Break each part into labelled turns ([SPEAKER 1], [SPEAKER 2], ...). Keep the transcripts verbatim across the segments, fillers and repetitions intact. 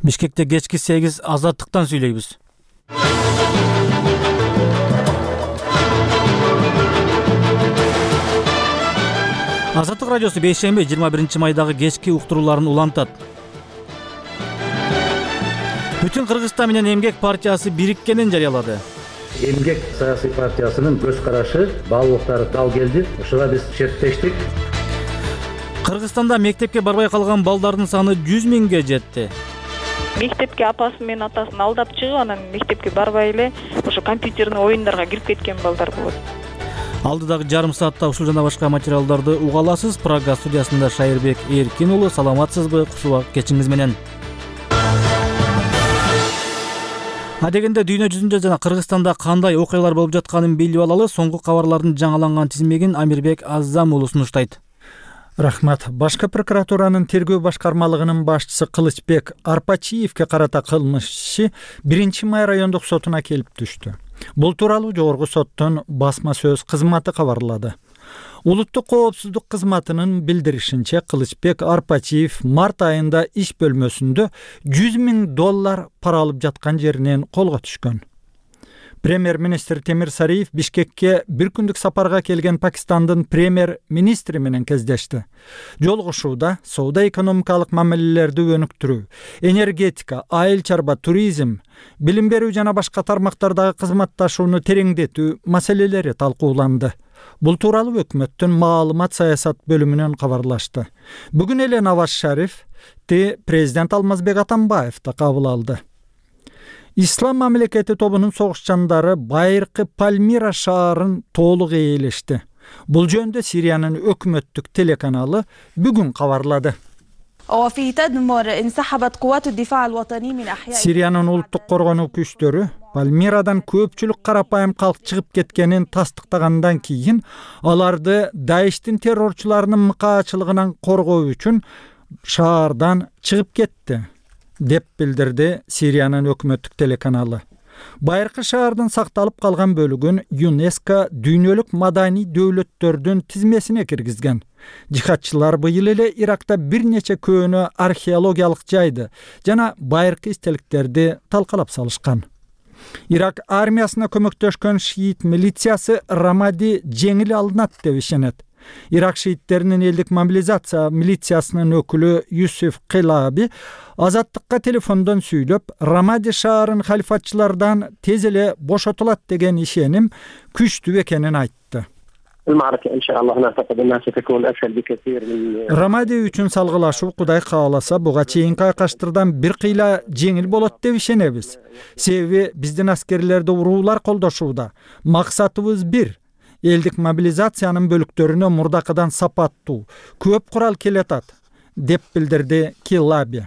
[SPEAKER 1] Бишкекте кечки сегиз азаттыктан сүйлөйбүз. Азаттык радиосу бейшемби жыйырма биринчи майдагы кечки уктурууларын улантат. Бүтүн Кыргызстан менен Эмгек партиясы бириккенин жарыялады.
[SPEAKER 2] Эмгек саясий партиясынын көз карашы, баалуулуктары дал келди. Ушуга биз шерттештик.
[SPEAKER 1] Кыргызстанда мектепке барбай калган балдардын саны жүз миңге жетти.
[SPEAKER 3] Мектепке апасы менен атасын алдап чыгып, анан мектепке барбай эле ошо компьютерный оюндарга кирип кеткен балдар болот.
[SPEAKER 1] Алдыдагы жарым саатта ушул жана башка материалдарды уга аласыз. Прага студиясында Шайырбек Эркин уулу. Саламатсызбы? Куш убакыт кечиңиз менен. Адегенде дүйнө жүзүндө жана Кыргызстанда кандай окуялар болуп жатканын билип алалы. Соңку кабарлардын жаңыланган тизмегин Амирбек Аззам уулу сунуштайт.
[SPEAKER 4] Рахмат. Башкы прокуратуранын тергөө башкармалыгынын башчысы Кылычбек Арпачиевке карата кылмыш иши биринчи май райондук сотуна келип түштү. Бул тууралуу жогорку соттун басма сөз кызматы кабарлады. Улуттук коопсуздук кызматынын билдиришинче, Кылычбек Арпачиев март айында иш бөлмөсүндө жүз миң доллар пара алып жаткан жеринен колго түшкөн. Премьер-министр Темир Сариев Бишкекке бир күндүк сапарга келген Пакистандын премьер-министри менен кездешти. Жолугушууда соода-экономикалык мамилелерди өнүктүрүү, энергетика, айыл чарба, туризм, билим берүү жана башка тармактардагы кызматташууну тереңдетүү маселелери талкууланды. Бул тууралуу өкмөттүн маалымат саясат бөлүмүнөн кабарлашты. Бүгүн эле Наваз Шариф те президент Алмазбек Атамбаев да кабыл алды. Ислам мамлекети тобунун согушчандары байыркы Пальмира шаарын толук ээлешти. Бул жөнүндө Сириянын өкмөттүк телеканалы бүгүн кабарлады. Сириянын улуттук коргонуу күчтөрү Пальмирадан көпчүлүк карапайым калк чыгып кеткенин тастыктагандан кийин аларды Даиштин террорчуларынын мыкаачылыгынан коргоо үчүн шаардан чыгып кетти, деп билдирди Сириянын өкмөттүк телеканалы. Байыркы шаардын сакталып калган бөлүгүн ЮНЕСКО дүйнөлүк маданий дөөлөттөрдүн тизмесине киргизген. Жихадчылар быйыл эле Иракта бир нече көөнө археологиялык жайды жана байыркы эстеликтерди талкалап салышкан. Ирак армиясына көмөктөшкөн шиит милициясы Рамади жеңил алынат деп ишенет. Ирак шииттеринин элдик мобилизация милициясынын өкүлү Юсуф Килаби Азаттыкка телефондон сүйлөп, Рамади шаарын халифатчылардан тез эле бошотулат деген ишеним күчтүү экенин айтты. Рамади үчүн салгылашуу Кудай кааласа буга чейинки айкаштырдан бир кыйла жеңил болот деп ишенебиз. Себеби биздин аскерлерди уруулар колдошууда. Максатыбыз бир. Элдик мобилизациянын бөлүктөрүнө мурдакыдан сапаттуу, көп курал келетат, деп билдирди Килаби.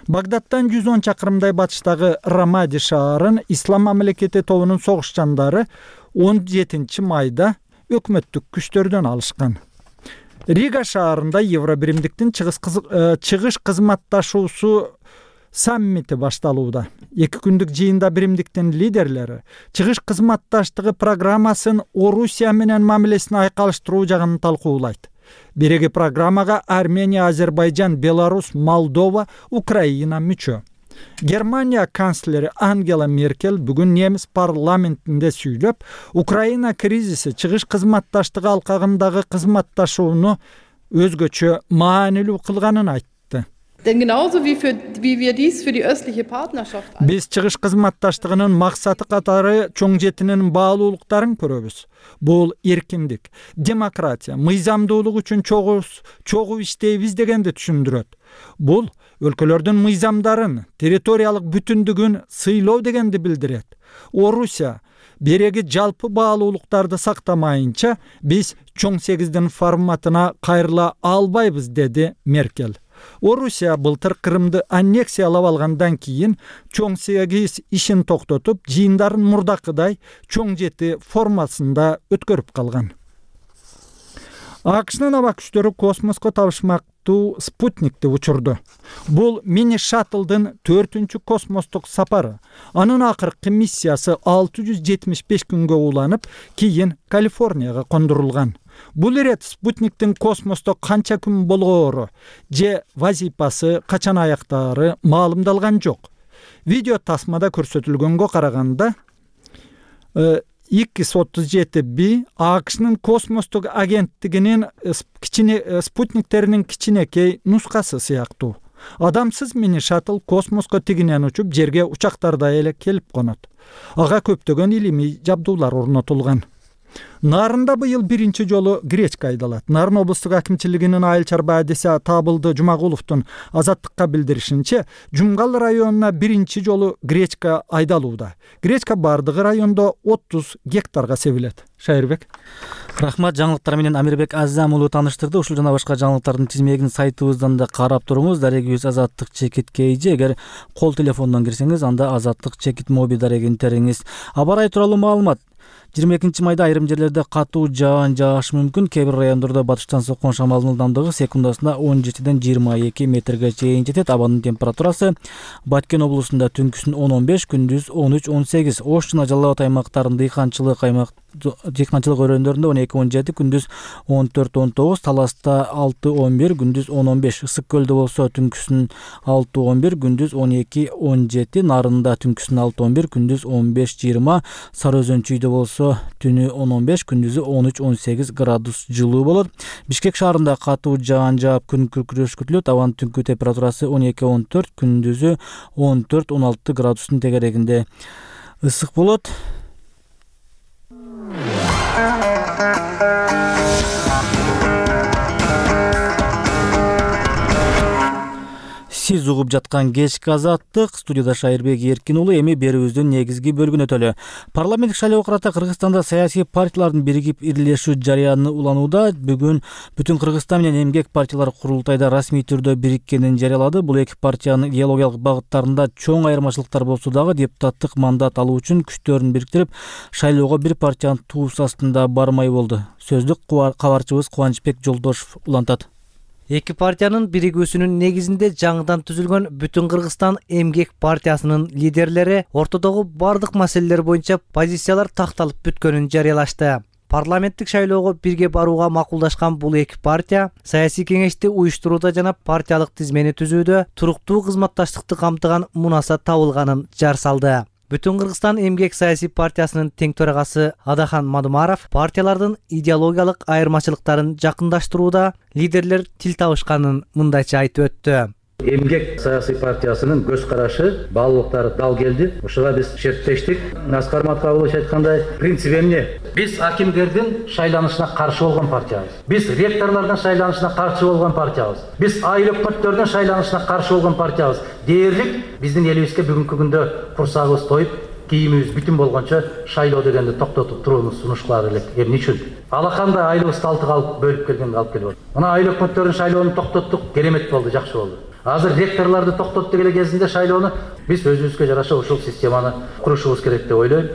[SPEAKER 4] Багдадтан жүз он чакырымдай батыштагы Рамади шаарын Ислам мамлекети тобунун согушчандары он жетинчи майда өкмөттүк күчтөрдөн алышкан. Рига шаарында Евробиримдиктин чыгыш кызматташуусу саммити башталууда. Эки күндүк жыйында биримдиктин лидерлери чыгыш кызматташтыгы программасын Орусия менен мамилесин айкалыштыруу жагын талкуулайт. Биреги программага Армения, Азербайжан, Беларусь, Молдова, Украина мүчө. Германия канцлери Ангела Меркель бүгүн немис парламентинде сүйлөп, Украина кризиси чыгыш кызматташтыгы алкагындагы кызматташууну өзгөчө маанилүү кылганын айтты. Биз чыгыш кызматташтыгынын максаты катары чоң жетинин баалуулуктарын көрөбүз. Бул эркиндик, демократия, мыйзамдуулук үчүн чогуз, чогуу иштейбиз дегенди түшүндүрөт. Бул өлкөлөрдүн мыйзамдарын, территориялык бүтүндүгүн сыйлоо дегенди билдирет. Орусия береги жалпы баалуулуктарды сактамайынча биз чоң сегиздин форматына кайрыла албайбыз, деди Меркель. Орусия былтыр Крымды аннексиялап алгандан кийин чоң сегиз ишин токтотуп, жыйындарын мурдакыдай чоң жети формасында өткөрүп калган. АКШнын аба күчтөрү космоско табышмактуу спутникти учурду. Бул мини шаттлдын төртүнчү космостук сапары. Анын акыркы миссиясы алты жүз жетимиш беш күнгө уланып, кийин Калифорнияга кондурулган. Бул ирет спутниктин космосто канча күн болгоору же вазипасы качан аяктаары маалымдалган жок. Видео тасмада көрсөтүлгөнгө караганда икс отуз жети би АКШнын космостук агенттигинин кичине спутниктеринин кичинекей нускасы сыяктуу. Адамсыз мини шаттл космоско тигинен учуп, жерге учактарда эле келип конот. Ага көптөгөн илимий жабдуулар орнотулган. Нарында быйыл биринчи жолу гречка айдалат. Нарын облустук акимчилигинин айыл чарба адиси Табылды Жумагуловдун Азаттыкка билдиришинче, Жумгал районуна биринчи жолу гречка айдалууда. Гречка бардыгы райондо отуз гектарга себилет. Шайырбек.
[SPEAKER 1] Рахмат, жаңылыктар менен Амирбек Аззам уулу тааныштырды. Ушул жана башка жаңылыктардын тизмегин сайтыбыздан да карап туруңуз. Дарегибиз Азаттык чекит кейжи. Эгер кол телефондон кирсеңиз, анда Азаттык чекит моби дарегин териңиз. Аба ырайы тууралуу маалымат. жыйырма экинчи майда айрым жерлерде катуу жаан жаашы мүмкүн. Кээ бир райондордо батыштан соккон шамалдын ылдамдыгы секундасына он жетиден жыйырма эки метрге чейин жетет. Абанын температурасы Баткен облусунда түнкүсүн он он беш, күндүз он үч он сегиз. Ош жана Жалал Абад аймактарында дыйканчылык аймак дыйканчылык өрөөндөрүндө он эки он жети, күндүз он төрт он тогуз, Таласта алты он бир, күндүз он он беш. Ысык көлдө болсо түнкүсүн алты он бир, күндүз он эки он жети, Нарында түнкүсүн алты он бир, күндүз он беш жыйырма, Сары Өзөн чүйдө болсо түнү он он беш, күндүзү он үч он сегиз градус жылуу болот. Бишкек шаарында катуу жаан жаап күн күркүрөш күтүлөт. Абанын түнкү температурасы он эки он төрт, күндүзү он төрт он алты градустун тегерегинде ысык болот. Сиз угуп жаткан кечки Азаттык, студияда Шайырбек Эркин уулу. Эми берүүбүздүн негизги бөлүгүнө өтөлү. Парламенттик шайлоо карата Кыргызстанда саясий партиялардын биригип ирилешүү жарыяны уланууда. Бүгүн Бүтүн Кыргызстан менен Эмгек партиялар курултайда расмий түрдө бириккенин жарыялады. Бул эки партиянын идеологиялык багыттарында чоң айырмачылыктар болсо дагы депутаттык мандат алуу үчүн күчтөрүн бириктирип, шайлоого бир партиянын туус астында бармай болду. Сөздүк кабарчыбыз Кубанычбек Жолдошов улантат.
[SPEAKER 5] Эки партиянын биригүүсүнүн негизинде жаңыдан түзүлгөн Бүтүн Кыргызстан Эмгек партиясынын лидерлери ортодогу бардык маселелер боюнча позициялар такталып бүткөнүн жарыялашты. Парламенттик шайлоого бирге барууга макулдашкан бул эки партия саясий кеңешти уюштурууда жана партиялык тизмени түзүүдө туруктуу кызматташтыкты камтыган мунаса табылганын жар салды. Бүтүн Кыргызстан Эмгек саясий партиясынын тең төрагасы Адахан Мадумаров партиялардын идеологиялык айырмачылыктарын жакындаштырууда лидерлер тил табышканын мындайча айтып өттү.
[SPEAKER 2] Эмгек саясий партиясынын көз карашы, баалуулуктары дал келди. Ушуга биз шерттештик. Аскар Маткабулович айткандай, принцип эмне? Биз акимдердин шайланышына каршы болгон партиябыз. Биз ректорлордун шайланышына каршы болгон партиябыз. Биз айыл өкмөттөрдүн шайланышына каршы болгон партиябыз. Дээрлик биздин элибизге бүгүнкү күндө курсагыбыз тоюп, кийимибиз бүтүн болгончо шайлоо дегенди токтотуп турууну сунушкулары элек. Эмне үчүн? Алакандай айылыбызды алтыга алып бөлүп келгенге алып келип атат. Мына айыл өкмөттөрүнүн шайлоону токтоттук, керемет болду, жакшы болду. Азыр ректорлорду токтоттук эле кезинде шайлоону биз өзүбүзгө жараша ушул системаны курушубуз керек деп ойлойм.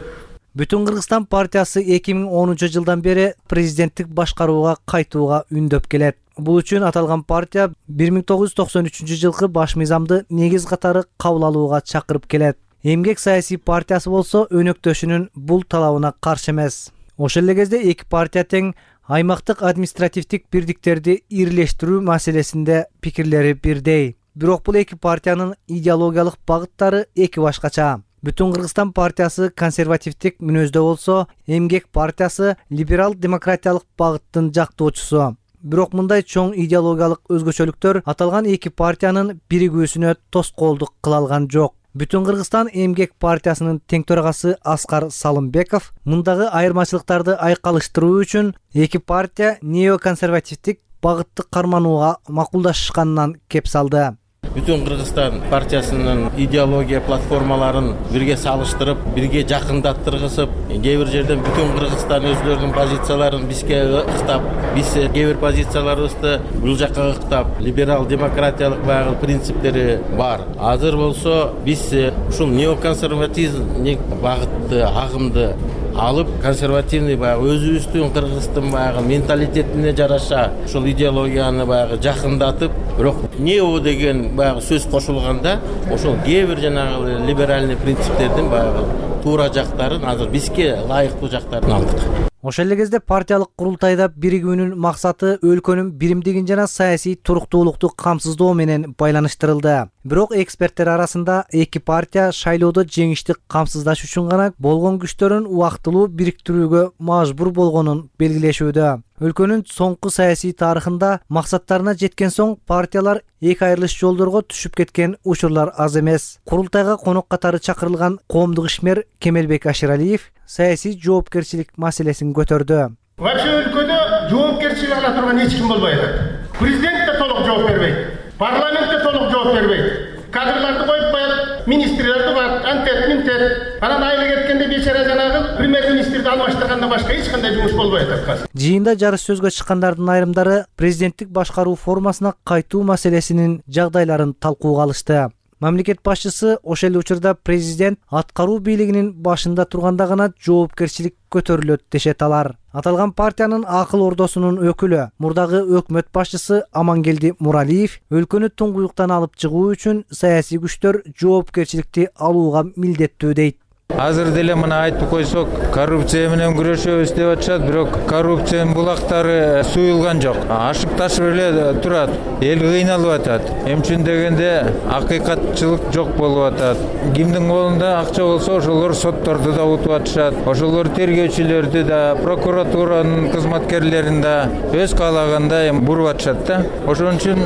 [SPEAKER 5] Бүтүн Кыргызстан партиясы эки миң онунчу жылдан бери президенттик башкарууга кайтууга үндөп келет. Бул үчүн аталган партия бир миң тогуз жүз токсон үчүнчү жылкы баш мыйзамды негиз катары кабыл алууга чакырып келет. Эмгек саясий партиясы болсо өнөктөшүнүн бул талабына каршы эмес. Ошол эле кезде эки партия тең аймактык административдик бирдиктерди ирилештирүү маселесинде пикирлери бирдей. Бирок бул эки партиянын идеологиялык багыттары эки башкача. Бүтүн Кыргызстан партиясы консервативдик мүнөздө болсо, Эмгек партиясы либерал демократиялык багыттын жактоочусу. Бирок мындай чоң идеологиялык өзгөчөлүктөр аталган эки партиянын биригүүсүнө тоскоолдук кыла алган жок. Бүтүн Кыргызстан Эмгек партиясынын тең төрагасы Аскар Салымбеков мындагы айырмачылыктарды айкалыштыруу үчүн эки партия неоконсервативдик багытты карманууга макулдашышканынан кеп салды.
[SPEAKER 6] Бүтүн Кыргызстан партиясынын идеология платформаларын бирге салыштырып, бирге жакындаттыргысып, кээ бир жерден Бүтүн Кыргызстан өзлөрүнүн позицияларын бизге ыктап, биз кээ бир позицияларыбызды бул жакка ыктап, либерал демократиялык баягы принциптери бар. Азыр болсо биз ушул неоконсервативдик багытты, агымды алып, консервативный баягы өзүбүздүн Кыргыздын баягы менталитетине жараша ушул идеологияны баягы жакындатып, бирок нео деген баягы сөз кошулганда, ошол кээ бир жанагы либеральный принциптердин баягы туура жактарын азыр бизге ылайыктуу жактарын алдык.
[SPEAKER 5] Ошол эле кезде партиялык курултайда биригүүнүн максаты өлкөнүн биримдигин жана саясий туруктуулукту камсыздоо менен байланыштырылды. Бирок эксперттер арасында эки партия шайлоодо жеңишти камсыздаш үчүн гана болгон күчтөрүн убактылуу бириктирүүгө мажбур болгонун белгилешүүдө. Өлкөнүн соңку саясий тарыхында максаттарына жеткен соң партиялар эки айрылыш жолдорго түшүп кеткен учурлар аз эмес. Курултайга конок катары чакырылган коомдук ишмер Кемелбек Аширалиев саясий жоопкерчилик маселесин көтөрдү.
[SPEAKER 7] Вообще өлкөдө жоопкерчилик ала турган эч ким болбой атат. Президент да толук жооп бербейт. Парламент да толук жооп бербейт. Кадрларды коюп коет, министрлерди коет, антет, минтет. Анан айла кеткенде бечара жанагы премьер-министрди алмаштыргандан башка эч кандай жумуш болбой атат азыр.
[SPEAKER 5] Жыйында жарыш сөзгө чыккандардын айрымдары президенттик башкаруу формасына кайтуу маселесинин жагдайларын талкууга алышты. Мамлекет башчысы ошол эле учурда президент аткаруу бийлигинин башында турганда гана жоопкерчилик көтөрүлөт дешет алар. Аталган партиянын акыл ордосунун өкүлү, мурдагы өкмөт башчысы Амангелди Муралиев өлкөнү туңгуюктан алып чыгуу үчүн саясий күчтөр жоопкерчиликти алууга милдеттүү дейт.
[SPEAKER 8] Азыр деле мына айтып койсок, коррупция менен күрөшөбүз деп атышат, бирок коррупциянын булактары суюлган жок. Ашып ташып эле турат. Эл кыйналып атат. Эми үчүн дегенде акыйкатчылык жок болуп атат. Кимдин колунда акча болсо, ошолор сотторду да утуп атышат. Ошолор тергөөчүлөрдү да, прокуратуранын кызматкерлерин да өз каалагандай эми буруп атышат да. Ошон үчүн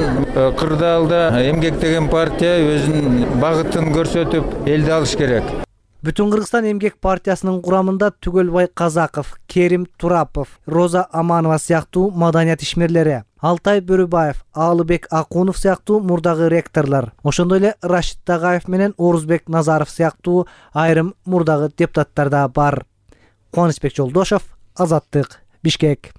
[SPEAKER 8] кырдаалда эмгек деген партия өзүнүн багытын көрсөтүп, элди алыш керек.
[SPEAKER 5] Бүтүн Кыргызстан эмгек партиясынын курамында Түгөлбай Казаков, Керим Турапов, Роза Аманова сыяктуу маданият ишмерлери, Алтай Бөрүбаев, Аалыбек Акунов сыяктуу мурдагы ректорлор, ошондой эле Рашид Тагаев менен Орузбек Назаров сыяктуу айрым мурдагы депутаттар да бар. Кубанычбек Жолдошов, Азаттык, Бишкек.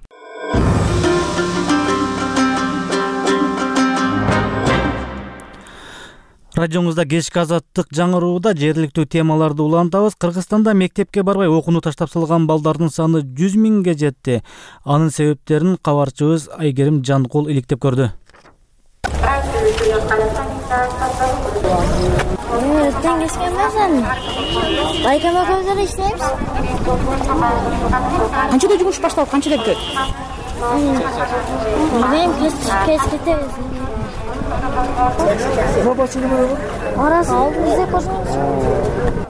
[SPEAKER 1] Радиоңузда кечки Азаттык жаңырууда жергиликтүү темаларды улантабыз. Кыргызстанда мектепке барбай окууну таштап салган балдардын саны жүз миңге жетти. Анын себептерин кабарчыбыз Айгерим Жанкул иликтеп көрдү.
[SPEAKER 9] Эртең кечке эмес, байкама көздөр иштейбиз. Канчада жумуш башталып, канчада бүтөт? Мен кеч кетебиз.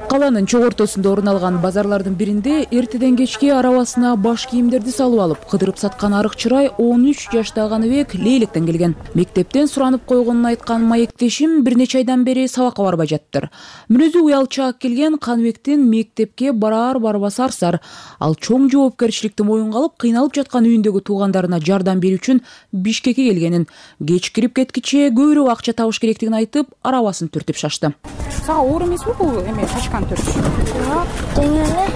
[SPEAKER 10] Каланын чок ортосунда орун алган базарлардын биринде эртеден кечке арабасына баш кийимдерди салып алып кыдырып саткан арык чырай он үч жаштагы Каныбек Лейлектен келген. Мектептен суранып койгонун айткан маектешим бир нече айдан бери сабакка барбай жаттыр. Мүнөзү уялчаак келген Каныбектин мектепке барар барбасы арсар. Ал чоң жоопкерчиликти моюнга алып, кыйналып жаткан үйүндөгү туугандарына жардам берүү үчүн Бишкекке келгенин, кеч кирип кеткиче көбүрөөк акча табыш керектигин айтып, арабасын түртүп шашты.
[SPEAKER 9] Сага оор эмеспи бул эме шашкан түртүш? Жок, тең эле.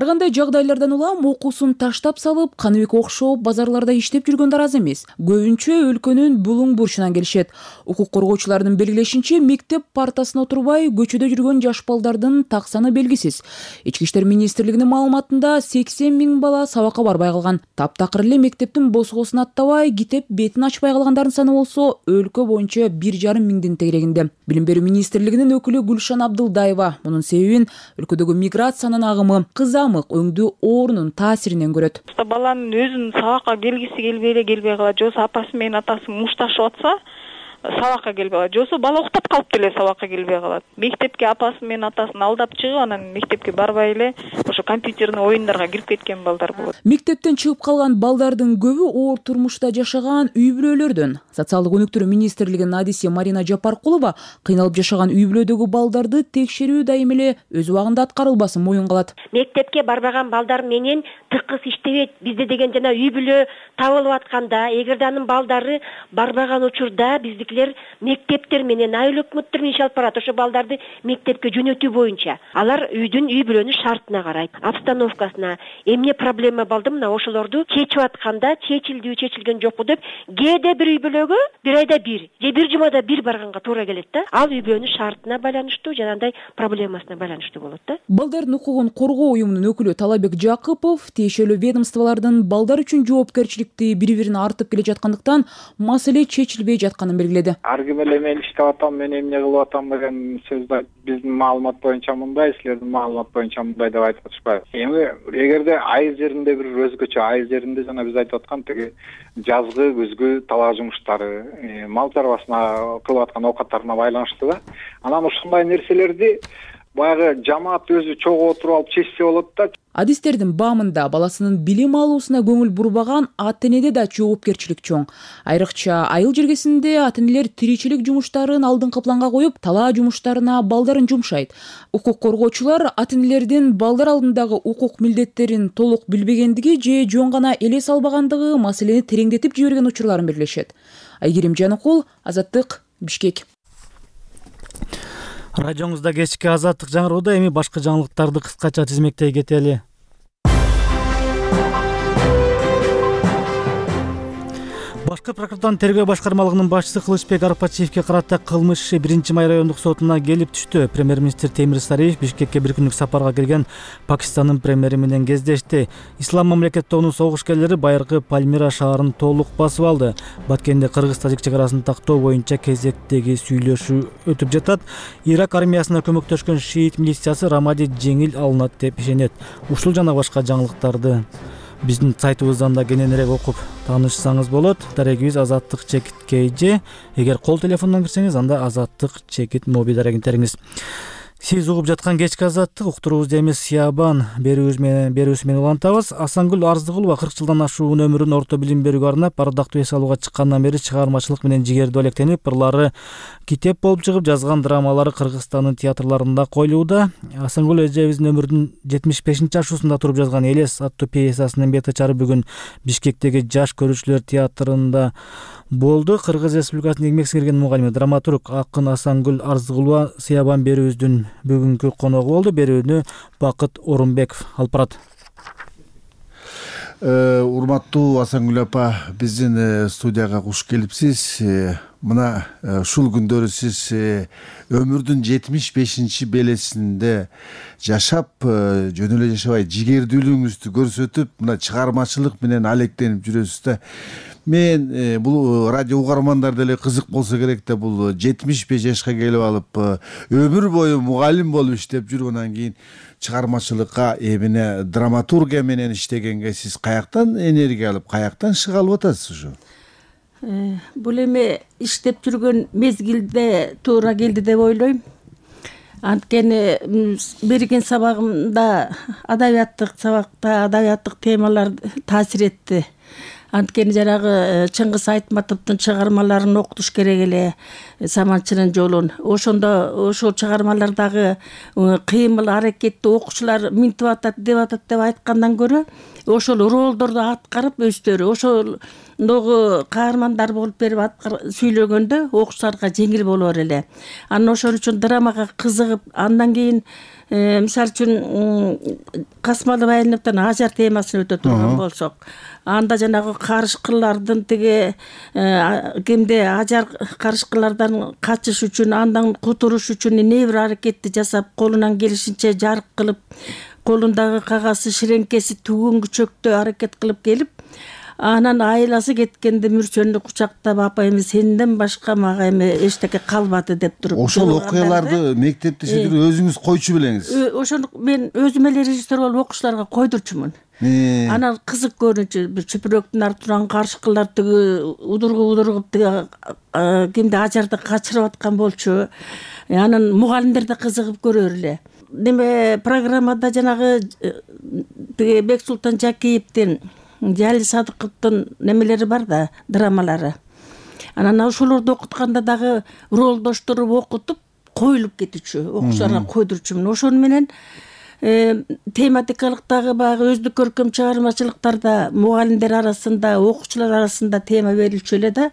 [SPEAKER 10] Ар кандай жагдайлардан улам окуусун таштап салып, Каныбек окшоп базарларда иштеп жүргөндөр аз эмес. Көбүнчө өлкөнүн булуң бурчунан келишет. Укук коргоочулардын белгилешинче, мектеп партасына отурбай көчөдө жүргөн жаш балдардын так саны белгисиз. Ички иштер министрлигинин маалыматында сексен миң бала сабакка барбай калган. Таптакыр эле мектептин босгосун аттабай, китеп бетин ачпай калгандардын саны болсо өлкө боюнча бир жарым миңдин тегерегинде. Билим берүү министрлигинин өкүлү Гүлшан Абдылдаева мунун себебин өлкөдөгү миграциянын агымы, кызамык өңдүү оорунун таасиринен көрөт.
[SPEAKER 3] Баланын өзүнүн сабакка келгиси келбей эле келбей калат, жосу апасы менен атасы мушташып атса, сабакка келбей калат, жосу бала уктап калып деле сабакка келбей калат. Мектепке апасы менен атасын алдап чыгып, анан мектепке барбай эле ошо компьютерный оюндарга кирип кеткен балдар болот.
[SPEAKER 10] Мектептен чыгып калган балдардын көбү оор турмушта жашаган үй бүлөлөрдөн. Социалдык өнүктүрүү министрлигинин адиси Марина Жапаркулова кыйналып жашаган үй бүлөдөгү балдарды текшерүү дайым эле өз убагында аткарылбасын моюнга алат.
[SPEAKER 11] Мектепке барбаган балдар менен тыкыз иштебейт. Бизде деген жана үй бүлө табылып атканда, эгерде анын балдары барбаган учурда биздикилер мектептер менен айыл өкмөттөр менен иш алып барат. Ошо балдарды мектепке жөнөтүү боюнча. Алар үйдүн үй бүлөнүн шартына карайт, обстановкасына. Эмне проблема болду, мына ошолорду чечип атканда чечилдүү, чечилген жокпу деп, кээде бир үй бүлөгө бир айда бир, же бир жумада бир барганга туура келет да. Ал үй бүлөнүн шартына байланыштуу, жанагындай проблемасына байланыштуу болот да.
[SPEAKER 10] Балдардын укугун коргоо уюмунун өкүлү Талабек Жакыпов тиешелүү ведомстволордун балдар үчүн жоопкерчиликти бири-бирине артып келе жаткандыктан маселе чечилбей жатканын белгиледи. белгиледи.
[SPEAKER 12] Ар ким эле мен иштеп атам, мен эмне кылып атам деген сөздү биздин маалымат боюнча мындай, силердин маалымат боюнча мындай деп айтып атышпайбы. Эми эгерде айыл жеринде бир өзгөчө, айыл жеринде жана биз айтып аткан тиги жазгы, күзгү талаа жумуштары, мал чарбасына кылып аткан оокаттарына байланыштуу да. Анан ушундай нерселерди баягы жамаат өзү чогуу отуруп алып чечсе болот да.
[SPEAKER 10] Адистердин баамында баласынын билим алуусуна көңүл бурбаган ата-энеде да жоопкерчилик чоң. Айрыкча айыл жергесинде ата-энелер тиричилик жумуштарын алдыңкы планга коюп, талаа жумуштарына балдарын жумшайт. Укук коргоочулар ата-энелердин балдар алдындагы укук милдеттерин толук билбегендиги же жөн гана элес албагандыгы маселени тереңдетип жиберген учурларын белгилешет. Айгерим Жаныкул, Азаттык, Бишкек.
[SPEAKER 1] Радиоңузда кечки Азаттык жаңыроодо эми башка жаңылыктарды кыскача тизмектей кетели. Башкы прокуратуранын тергөө башкармалыгынын башчысы Кылычбек Арпачиевке карата кылмыш иши биринчи май райондук сотуна келип түштү. Премьер-министр Темир Сариев Бишкекке бир күндүк сапарга келген Пакистандын премьери менен кездешти. Ислам мамлекеттеринин согушкерлери байыркы Пальмира шаарын толук басып алды. Баткенде кыргыз-тажик чек арасын тактоо боюнча кезектеги сүйлөшүү өтүп жатат. Ирак армиясына көмөктөшкөн шиит милициясы Рамади жеңил алынат деп ишенет. Ушул жана башка жаңылыктарды биздин сайтыбыздан да кененирээк окуп таанышсаңыз болот. Дарегибиз Азаттык чекит кей же. Эгер кол телефондон кирсеңиз, анда Азаттык чекит моби дарегиңтериңиз. Сиз угуп жаткан кечки Азаттык уктуруубузду эмес Сиябан берүүбүз менен берүүсү менен улантабыз. Асангүл Арзыгулова кырк жылдан ашуун өмүрүн орто билим берүүгө арнап, ардактуу эс алууга чыккандан бери чыгармачылык менен жигердүү алектенип, ырлары китеп болуп чыгып, жазган драмалары Кыргызстандын театрларында коюлууда. Асангүл эжебиздин өмүрүнүн жетимиш бешинчи ашуусунда туруп жазган Элес аттуу пьесасынын бет ачары бүгүн Бишкектеги Жаш көрүүчүлөр театрында болду. Кыргыз Республикасынын эмгек сиңирген мугалими, драматург акын Асангүл Арзыгулова Сиябан берүүбүздүн бүгүнкү коногу болду. Берүүнү Бакыт Орунбеков алып барат.
[SPEAKER 13] Урматтуу Асангүл апа, биздин студияга куш келипсиз. Мына ушул күндөрү сиз өмүрдүн жетимиш бешинчи белесинде жашап, жөн эле жашабай, жигердүүлүгүңүздү көрсөтүп, мына чыгармачылык менен алектенип жүрөсүз да. Мен бул радио угармандар деле кызык болсо керек да, бул жетимиш беш жашка келип алып, өмүр бою мугалим болуп иштеп жүрүп, анан кийин чыгармачылыкка, эмне драматургия менен иштегенге сиз каяктан энергия алып, каяктан шык алып атасыз ушу?
[SPEAKER 14] Бул эми иштеп жүргөн мезгилде туура келди деп ойлойм. Анткени берген сабагымда, адабияттык сабакта адабияттык темалар таасир этти. Анткени жанагы Чыңгыз Айтматовдун чыгармаларын окутуш керек эле, Саманчынын жолун. Ошондо ошол чыгармалардагы кыймыл аракетти окуучулар минтип атат, деп атат деп айткандан көрө, ошол ролдорду аткарып өздөрү ошолдогу каармандар болуп берип сүйлөгөндө окуучуларга жеңил болор эле. Анан ошол үчүн драмага кызыгып, андан кийин мисалы үчүн Касмалы Байыновдун ажар темасын өтө турган болсок, анда жанагы карышкырлардын тиги кимде ажар карышкылардан качыш үчүн, андан кутуруш үчүн эмне бир аракетти жасап, колунан келишинче жарык кылып, колундагы кагазы ширеңкеси түгөнгү чөктө аракет кылып келип, анан айласы кеткенде мүрчөнү кучактап, апа эми сенден башка мага эми эчтеке калбады деп туруп.
[SPEAKER 13] Ошол окуяларды мектепте сиздер өзүңүз койчу белеңиз?
[SPEAKER 14] Ошону мен өзүм эле режиссер болуп окуучуларга койдурчумун. Анан кызык көрүнчү, бир чүпүрөктүн артынан карышкылар тиги удургуп удургуп тиги кимди ажарды качырып аткан болчу. Анан мугалимдер да кызыгып көрөр эле. Неме программада жанагы тиги Бексултан Жакиевдин, Жалил Садыковдун немелери бар да, драмалары. Анан ошолорду окутканда дагы ролдоштуруп окутуп коюлуп кетүүчү, окуучуларга койдурчумун. Ошону менен тематикалыктагы баягы өздүк көркөм чыгармачылыктарда мугалимдер арасында, окуучулар арасында тема берилчү эле да.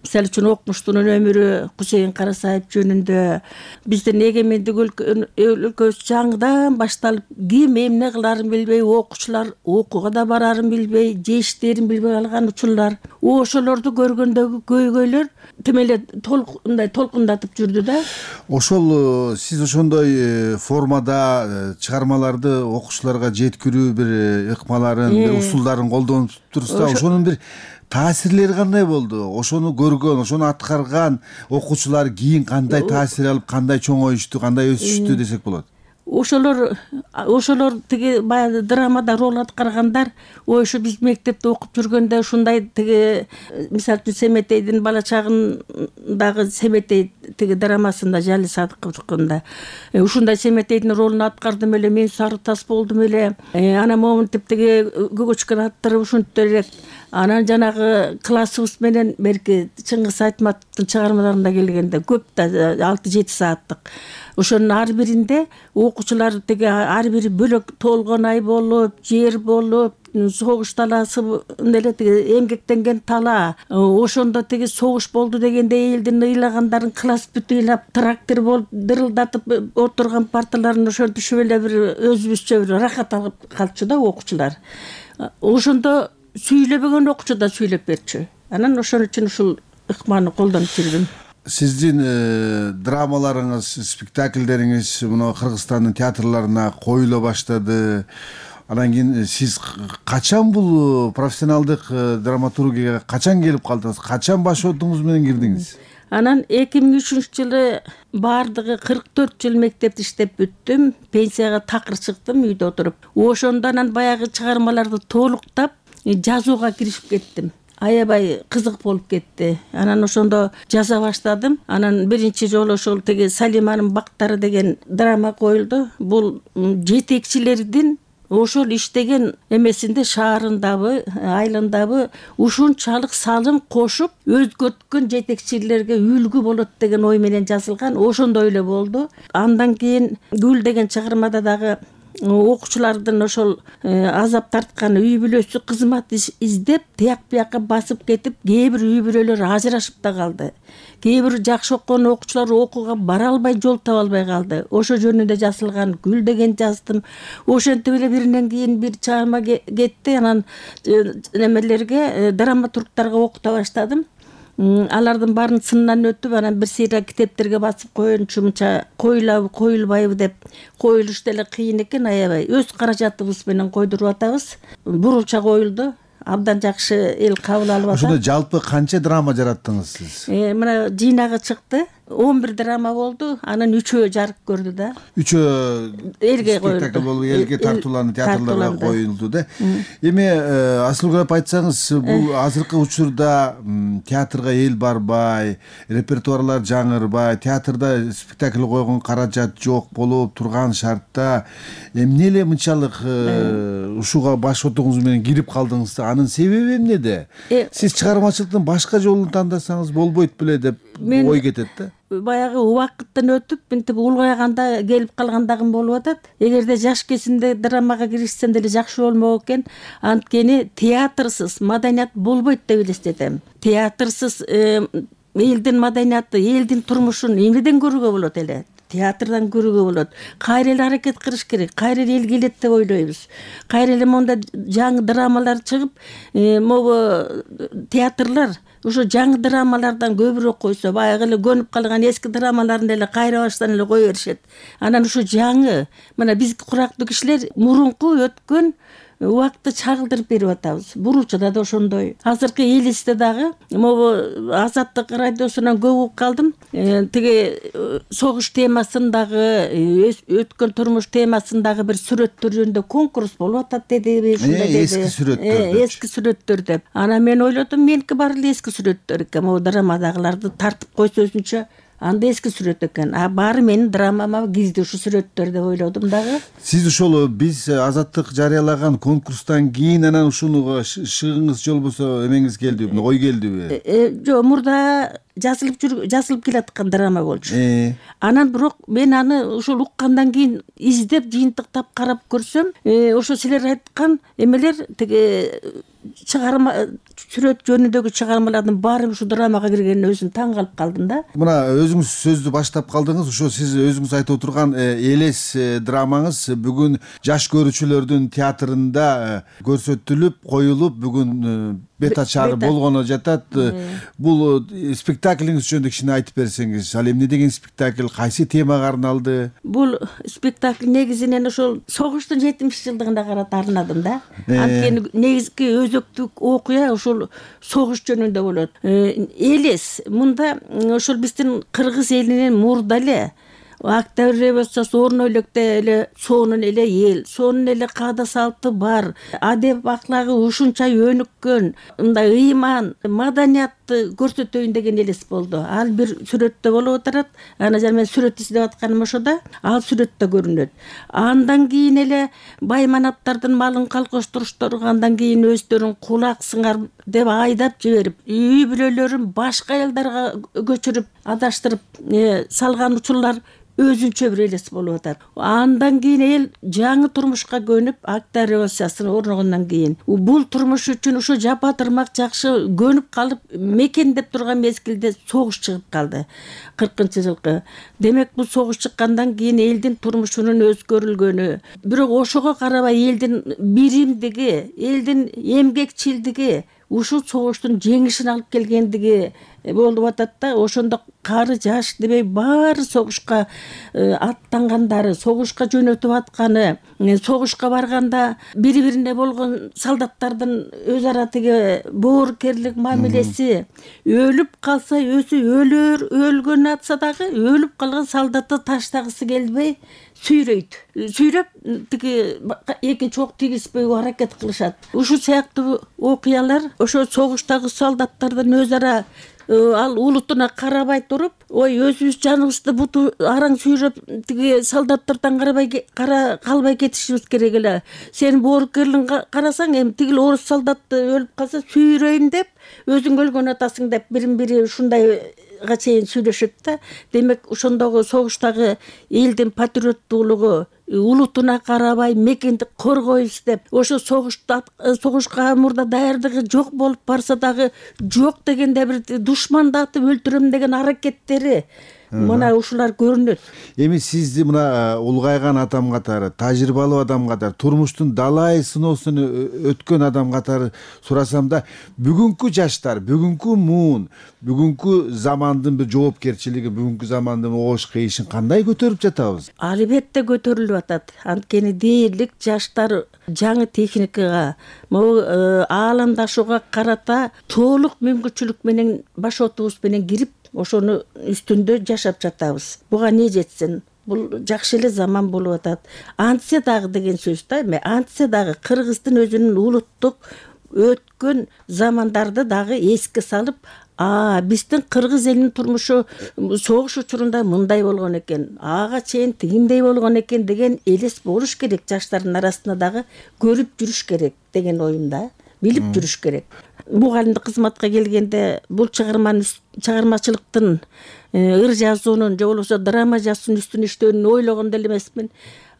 [SPEAKER 14] Мисалы үчүн Окмуштунун өмүрү Кусейин Карасаев жөнүндө, биздин эгемендик өлкөбүз жаңыдан башталып, ким эмне кыларын билбей, окуучулар окууга да барарын билбей, же иштерин билбей калган учурлар. Ошолорду көргөндөгү көйгөйлөр тим эле толкундай толкундатып жүрдү да.
[SPEAKER 13] Ошол сиз ошондой формада чыгармаларды окуучуларга жеткирүү бир ыкмаларын, бир усулдарын колдонуп турсузда, ошонун бир таасирлери кандай болду? Ошону көргөн, ошону аткарган окуучулар кийин кандай таасир алып, кандай чоңоюшту, кандай өсүштү десек болот?
[SPEAKER 14] Ошолор ошолор тиги баягы драмада роль аткаргандар, ой ушу биз мектепте окуп жүргөндө ушундай тиги мисалы үчүн Семетейдин бала чагындагы Семетей тиги драмасында Жали Садыковдукунда ушундай Семетейдин ролун аткардым эле, мен сары тас болдум эле. Анан моминтип тиги Гөгөчкөн аттырып ушинтип элек. Анан жанагы классыбыз менен берки Чыңгыз Айтматовдун чыгармаларында келгенде көп да алты жети сааттык. Ошонун ар биринде окуучулар тиги ар бири бөлөк толгон ай болуп, жер болуп, согуш талаасы эле тиги эмгектенген тала. Ошондо тиги согуш болду дегенде элдин ыйлагандарын класс бүт ыйлап, трактор болуп дырылдатып отурган парталарын ошентишип эле бир өзүбүзчө бир рахат алып калчу да окуучулар. Ошондо сүйлөбөгөн окуучу да сүйлөп берчү. Анан ошон үчүн ушул ыкманы колдонуп жүрдүм.
[SPEAKER 13] Сиздин драмаларыңыз, спектакльдериңиз мына Кыргызстандын театрларына коюла баштады. Анан кийин сиз качан бул профессионалдык драматургияга качан келип калдыңыз? Качан башоотуңуз менен кирдиңиз?
[SPEAKER 14] Анан эки миң үчүнчү жылы баардыгы кырк төрт жыл мектепте иштеп бүттүм. Пенсияга такыр чыктым үйдө отуруп. Ошондо анан баягы чыгармаларды толуктап жазууга киришип кеттим. Аябай кызык болуп кетти. Анан ошондо жаза баштадым. Анан биринчи жолу ошол тиги Салиманын бактары деген драма коюлду. Бул жетекчилердин ошол иштеген эмесинде шаарындабы, айылындабы ушунчалык салым кошуп өзгөрткөн жетекчилерге үлгү болот деген ой менен жазылган. Ошондой эле болду. Андан кийин Гүл деген чыгармада дагы окуучулардын ошол азап тарткан үй бүлөсү кызмат издеп тияк биякка басып кетип, кээ бир үй бүлөлөр ажырашып да калды. Кээ бир жакшы окуган окуучулар окууга бара албай, жол таба албай калды. Ошо жөнүндө жазылган Гүл деген жаздым. Ошентип эле биринен кийин бир чыгарма кетти. Анан немелерге, драматургтарга окута баштадым. Алардын баарын сындан өтүп, анан бир сыйра китептерге басып коеюнчу мынча коюлабы, коюлбайбы деп коюлуш деле кыйын экен, аябай. Өз каражатыбыз менен койдуруп атабыз. Бурулча коюлду. Абдан жакшы эл кабыл алып атат.
[SPEAKER 13] Ошондо жалпы канча драма жараттыңыз сиз?
[SPEAKER 14] Э, мына жыйнагы чыкты. он бир драма болду. Анан үчөө жарык көрдү да.
[SPEAKER 13] Үчөө
[SPEAKER 14] элге коюлду.
[SPEAKER 13] Спектакль болуп, элге тартууланып, театрларга коюлду да. Эми Асылгүл апа айтсаңыз, бул азыркы учурда театрга эл барбай, репертуарлар жаңырбай, театрда спектакль койгон каражат жок болуп турган шартта эмне эле мынчалык ушуга башоотуңуз менен кирип калдыңыз? Анын себеби эмнеде? Сиз чыгармачылыктын башка жолун тандасаңыз болбойт беле деп ой кетет да.
[SPEAKER 14] Баягы убакыттан өтүп, мынтип улгайганда келип калгандагым болуп атат. Эгерде жаш кезимде драмага киришсем деле жакшы болмок экен. Анткени театрсыз маданият болбойт деп элестетем. Театрсыз элдин маданияты, элдин турмушун эмнеден көрүүгө болот эле? Театрдан көрүүгө болот. Кайра эле аракет кылыш керек. Кайра эле эл келет деп ойлойбуз. Кайра эле монда жаңы драмалар чыгып, могу театрлар ошо жаңы драмалардан көбүрөөк койсо, баягы эле көнүп калган эски драмаларын эле кайра баштан эле кое беришет. Анан ошо жаңы, мына бизги курактуу кишилер мурунку өткөн убакытты чагылдырып берип атабыз. Бурулчада да ошондой. Азыркы элисте дагы могу Азаттык радиосунан көп угуп калдым. Тиги согуш темасындагы, өткөн турмуш темасындагы бир сүрөттөр жөнүндө конкурс болуп атат деди.
[SPEAKER 13] Эски сүрөттөр.
[SPEAKER 14] Эски сүрөттөр деп. Анан мен ойлодум, меники баары эле эски сүрөттөр экен. Могу драмадагыларды тартып койсо өзүнчө анда эски сүрөт экен. А баары менин драмама кирди ушу сүрөттөр деп ойлодум дагы.
[SPEAKER 13] Сиз ошол биз Азаттык жарыялаган конкурстан кийин анан ушунуга шыгыңыз же болбосо эмеңиз келдиби, ой келдиби?
[SPEAKER 14] Жок, мурда жазылып жүр, жазылып келаткан драма болчу. Анан бирок мен аны ошол уккандан кийин издеп, жыйынтыктап карап көрсөм, ошо силер айткан эмелер тиги чыгарма сүрөт жөнүндөгү чыгармалардын баары ушу драмага киргенине өзүм таң калып калдым да.
[SPEAKER 13] Мына өзүңүз сөздү баштап калдыңыз. Ошо сиз өзүңүз айтып отурган элес драмаңыз бүгүн жаш көрүүчүлөрдүн театрында көрсөтүлүп, коюлуп, бүгүн бета чары болгону жатат. Бул спектаклиңиз жөнүндө кичине айтып берсеңиз, ал эмне деген спектакль, кайсы темага арналды?
[SPEAKER 14] Бул спектакль негизинен ошол согуштун жетимиш жылдыгына карата арнадым да. Анткени негизги өзөктүк окуя ошол согуш жөнүндө болот. Элес мында ошол биздин кыргыз элинин мурда эле Октябрь революциясы орун электе эле сонун эле эл, сонун эле каада салты бар, адеп аклагы ушунча өнүккөн, мындай ыйман, маданиятты көрсөтөйүн деген элес болду. Ал бир сүрөттө болуп отурат. Ана жана мен сүрөт издеп атканым ошо да, ал сүрөттө көрүнөт. Андан кийин эле бай манаттардын малын калкоштуруштору, андан кийин өздөрүн кулак сыңар деп айдап жиберип, үй бүлөлөрүн башка аялдарга көчүрүп, адаштырып салган учурлар өзүнчө бир элес болуп атат. Андан кийин эл жаңы турмушка көнүп, Октябрь революциясы орногондон кийин бул турмуш үчүн ошо жапа тырмак жакшы көнүп калып мекендеп турган мезгилде согуш чыгып калды. кыркынчы жылкы. Демек бул согуш чыккандан кийин элдин турмушунун өзгөрүлгөнү, бирок ошого карабай элдин биримдиги, элдин эмгекчилдиги ушул согуштун жеңишин алып келгендиги болуп атат да. Ошондо кары жаш дебей баары согушка аттангандары, согушка жөнөтүп атканы, согушка барганда бири-бирине болгон солдаттардын өз ара тиги боорукерлик мамилеси, өлүп калса өзү өлөр, өлгөн атса дагы өлүп калган солдатты таштагысы келбей сүйрөйт. Сүйрөп тиги экинчи ок тийгизбөйгө аракет кылышат. Ушул сыяктуу окуялар ошо согуштагы солдаттардын өз ара ал улутуна карабай туруп, ой өзүбүз жаныбызды буту араң сүйрөп тиги солдаттардан карабай кара калбай кетишибиз керек эле. Сен боорукерлигин карасаң, эми тигил орус солдаты өлүп калса сүйрөйүн деп, өзүң өлгөн атасың деп бирин-бири ушундай га чейин сүйлөшөт да. Демек ошондогу согуштагы элдин патриоттуулугу, улутуна карабай мекенди коргойбуз деп, ошо согушта согушка мурда даярдыгы жок болуп барса дагы жок дегенде бир душмандатып өлтүрөм деген аракеттери мына ушулар көрүнөт.
[SPEAKER 13] Эми сизди мына улгайган адам катары, тажрыйбалуу адам катары, турмуштун далай сыноосун өткөн адам катары сурасам да, бүгүнкү жаштар, бүгүнкү муун, бүгүнкү замандын бир жоопкерчилиги, бүгүнкү замандын оош кыйышын кандай көтөрүп жатабыз?
[SPEAKER 14] Албетте көтөрүлүп атат. Анткени дээрлик жаштар жаңы техникага, могу ааламдашууга карата толук мүмкүнчүлүк менен баш отубуз менен кирип, ошону үстүндө жашап жатабыз. Буга не жетсин? Бул жакшы эле заман болуп атат. Антсе дагы деген сөз да, эми антсе дагы Кыргыздын өзүнүн улуттук өткөн замандарды дагы эске салып, а биздин кыргыз элинин турмушу согуш учурунда мындай болгон экен, ага чейин тигиндей болгон экен деген элес болуш керек. Жаштардын арасында дагы көрүп жүрүш керек деген оюмда, билип жүрүш керек. Мугалимдик кызматка келгенде бул чыгарманын чыгармачылыктын ыр жазуунун же болбосо драма жазуунун үстүнө иштөөнү ойлогон деле эмесмин.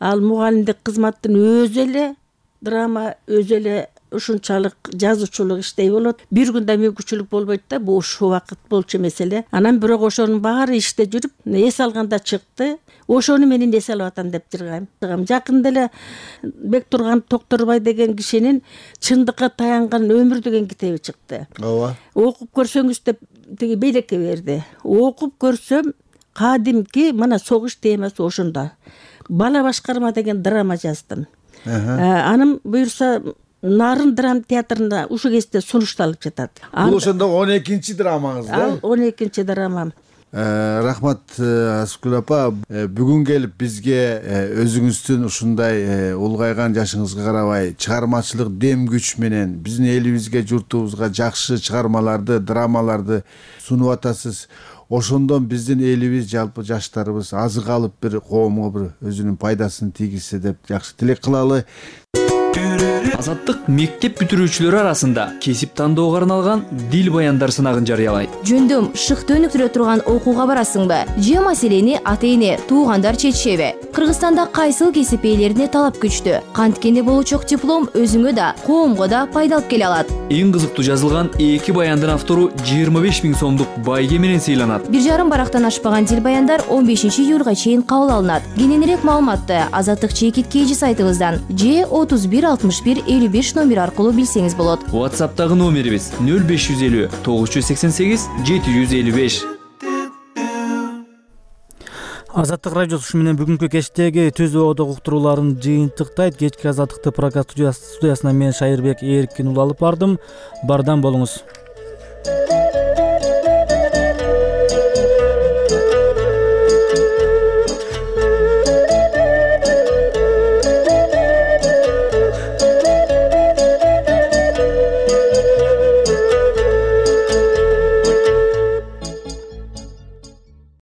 [SPEAKER 14] Ал мугалимдик кызматтын өзү эле драма, өзү эле ушунчалык жазуучулук иштей болот. Бир күндө мүмкүнчүлүк болбойт да, бул ушул убакыт болчу эмес эле. Анан бирок ошонун баары иште жүрүп, эс алганда чыкты. Ошону менин эс алып атам деп жыргайм. Жакында эле Бектурган Токторбай деген кишинин Чындыкка таянган өмүр деген китеби чыкты.
[SPEAKER 13] Ооба.
[SPEAKER 14] Окуп көрсөңүз деп тиги белекке берди. Окуп көрсөм, кадимки мына согуш темасы ошондо. Бала башкарма деген драма жаздым. Анын буюрса Нарын драма театрында ушул кезде сунушталып жатат.
[SPEAKER 13] Бул ошондо он экинчи драмаңыз да?
[SPEAKER 14] Ал он экинчи драмам.
[SPEAKER 13] Рахмат Аскүл апа, бүгүн келип бизге өзүңүздүн ушундай улгайган жашыңызга карабай чыгармачылык дем күч менен биздин элибизге, журтубузга жакшы чыгармаларды, драмаларды сунуп атасыз. Ошондон биздин элибиз, жалпы жаштарыбыз азык алып бир коомго бир өзүнүн пайдасын тийгизсе деп жакшы тилек кылалы.
[SPEAKER 15] Азаттык мектеп бүтүрүүчүлөрү арасында кесип тандоого арналган дил баяндар сынагын жарыялайт.
[SPEAKER 16] Жөндөм шыкты өнүктүрө турган окууга барасыңбы? Же маселени ата-эне, туугандар чечишеби? Кыргызстанда кайсыл кесип ээлерине талап күчтүү? Канткени болочок диплом өзүңө да, коомго да пайда алып келе алат.
[SPEAKER 15] Эң кызыктуу жазылган эки баяндын автору жыйырма беш миң сомдук байге менен сыйланат.
[SPEAKER 16] Бир жарым барактан ашпаган дил баяндар он бешинчи июлга чейин кабыл алынат. Кененирээк маалыматты Азаттык чекит кейжи сайтыбыздан же отуз бир бир алтымыш бир элүү беш номери аркылуу билсеңиз болот.
[SPEAKER 15] WhatsApp'тагы номерибиз нөл беш жүз элүү тогуз жүз сексен сегиз жети жүз элүү беш.
[SPEAKER 1] Азаттык радиосу ушу менен бүгүнкү кечтеги Түз Оодок уктурууларын жыйынтыктайт. Кечки Азаттыкты прокат студиясынан мен Шайырбек Эркин улы алып бардым. Бардам болуңуз.